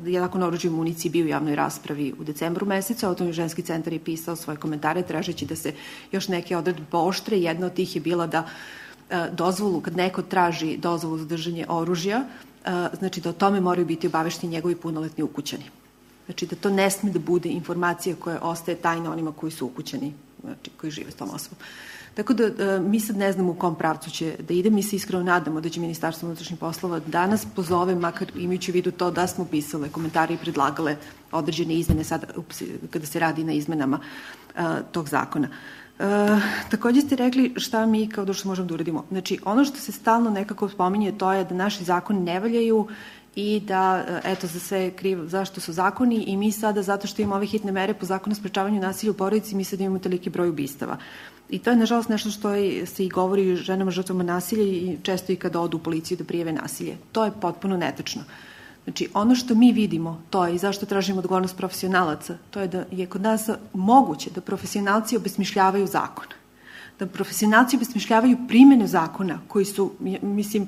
Zakon o oružju i municiji bio u javnoj raspravi u decembru mesecu, Autonomni ženski centar je pisao svoje komentare tražeći da se još neke odredbe pooštre. Jedna od tih je bila da dozvolu, kad neko traži dozvolu za držanje oružja, znači da o tome moraju biti obavešteni njegovi punoletni ukućani. Znači da to ne sme da bude informacija koja ostaje tajna onima koji su ukućeni, znači koji žive s tom osobom. Tako da mi sad ne znamo u kom pravcu će da ide. Mi se iskreno nadamo da će Ministarstvo unutrašnjih poslova danas pozove, makar imajući u vidu to da smo pisale komentare i predlagale određene izmene sada kada se radi na izmenama tog zakona. Takođe ste rekli šta mi kao društvo možemo da uradimo. Znači, ono što se stalno nekako spominje to je da naši zakoni ne valjaju i da, eto, za sve kriv zašto su zakoni i mi sada, zato što imamo ove hitne mere po zakonu o sprečavanju nasilja u porodici, mi sad imamo toliki broj ubistava. I to je, nažalost, nešto što se i govori ženama žrtvama nasilja i često i kada odu u policiju da prijave nasilje. To je potpuno netačno. Znači, ono što mi vidimo, to je i zašto tražimo odgovornost profesionalaca, to je da je kod nas moguće da profesionalci obesmišljavaju zakon. Da profesionalci obesmišljavaju primjenu zakona koji su, mislim,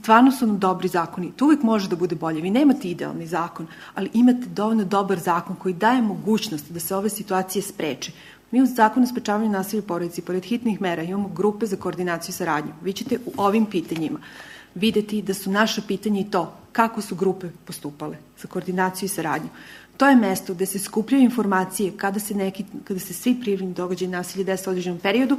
stvarno su nam dobri zakoni. To uvijek može da bude bolje. Vi nemate idealni zakon, ali imate dovoljno dobar zakon koji daje mogućnost da se ove situacije spreče. Mi u zakonu o sprečavanju nasilja u porodici, pored hitnih mera, imamo grupe za koordinaciju i saradnju. Vi ćete u ovim pitanjima videti da su naša pitanja i to kako su grupe postupale za koordinaciju i saradnju. To je mesto gde se skupljaju informacije kada se svi prijavljeni događaji nasilja dese u određenom periodu,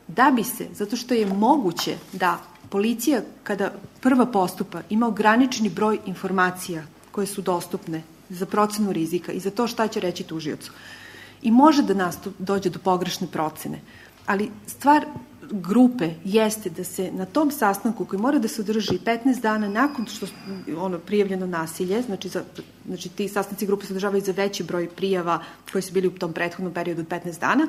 da bi se, zato što je moguće da policija kada prva postupa ima ograničeni broj informacija koje su dostupne za procenu rizika i za to šta će reći tužiocu. I može da dođe do pogrešne procene, ali stvar grupe jeste da se na tom sastanku koji mora da se održi 15 dana nakon što je prijavljeno nasilje, znači ti sastanci grupe se održavaju za veći broj prijava koji su bili u tom prethodnom periodu od 15 dana,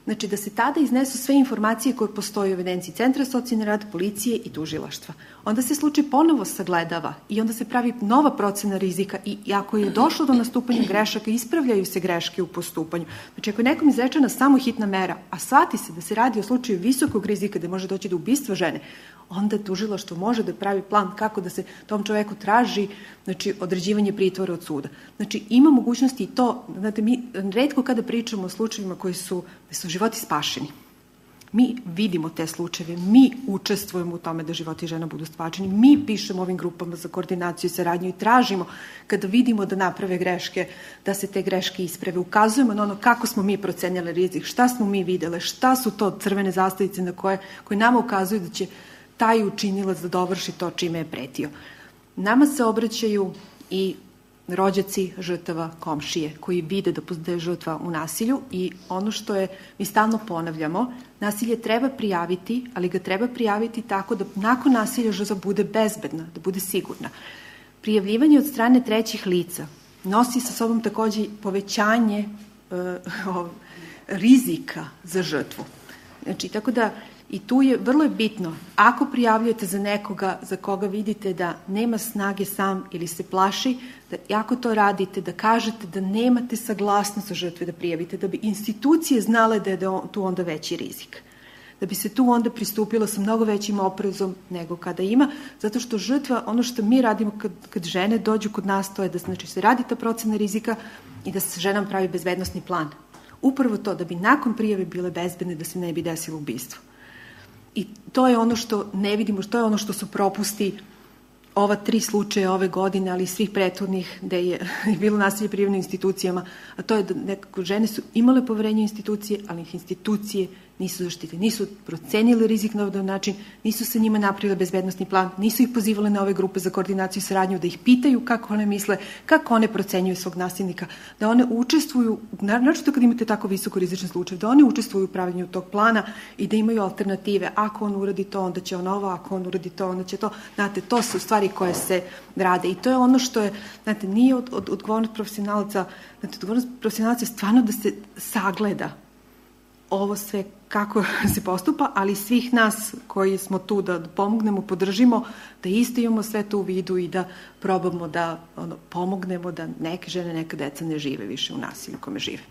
znači da se tada iznesu sve informacije koje postoje u evidenciji Centra socijalni rad, policije i tužilaštva. Onda se slučaj ponovo sagledava i onda se pravi nova procena rizika i ako je došlo do nastupanja grešaka, ispravljaju se greške u postupanju. Znači ako je nekom izrečena samo hitna mera, a shvati se da se radi o slučaju visokog rizika da može doći do ubistva žene, onda tužilaštvo može da pravi plan kako da se tom čoveku traži određivanje pritvora od suda. Znači ima mogućnosti i to, znate, mi retko kada pričamo o slučajevima koji su životi spašeni. Mi vidimo te slučajeve, mi učestvujemo u tome da životi žena budu spašeni, mi pišemo ovim grupama za koordinaciju i saradnju i tražimo kada vidimo da naprave greške, da se te greške isprave. Ukazujemo na ono kako smo mi procenjali rizik, šta smo mi videle, šta su to crvene zastavice na koje nama ukazuju da će taj učinilac da dovrši to čime je pretio. Nama se obraćaju i rođaci žrtava, komšije, koji vide da je žrtva u nasilju i ono što mi stalno ponavljamo, nasilje treba prijaviti, ali ga treba prijaviti tako da nakon nasilja žrtva bude bezbedna, da bude sigurna. Prijavljivanje od strane trećih lica nosi sa sobom takođe povećanje rizika za žrtvu. Znači, tako da i tu je vrlo bitno, ako prijavljujete za nekoga za koga vidite da nema snage sam ili se plaši, da ako to radite, da kažete da nemate saglasnost za žrtve da prijavite, da bi institucije znale da je tu onda veći rizik. Da bi se tu onda pristupilo sa mnogo većim oprezom nego kada ima, zato što žrtva, ono što mi radimo kad žene dođu kod nas, to je da se radi ta procena rizika i da se ženama pravi bezbednosni plan. Upravo to, da bi nakon prijave bile bezbedne, da se ne bi desilo ubistvo. I to je ono što ne vidimo, to je ono što su propusti ova 3 slučaja ove godine, ali i svih prethodnih gde je bilo nasilje prijavljeno institucijama, a to je da nekako žene su imale poverenje u institucije, ali ih institucije nisu zaštitile, nisu procenili rizik na ovaj način, nisu sa njima napravile bezbednosni plan, nisu ih pozivale na ove grupe za koordinaciju i saradnju, da ih pitaju kako one misle, kako one procenjuju svog nasilnika, da one učestvuju, naročito kad imate tako visoko rizičan slučaj, da one učestvuju u pravljenju tog plana i da imaju alternative. Ako on uradi to, onda će on ovo, ako on uradi to, onda će to. Znate, to su stvari koje se rade i to je ono što je, znate, nije odgovornost profesionalaca, znate, odgovornost profesionalaca je stvarno da se sagleda ovo sve kako se postupa, ali svih nas koji smo tu da pomognemo, podržimo, da isto imamo sve to u vidu i da probamo da pomognemo da neke žene, neka deca ne žive više u nasilju kome žive.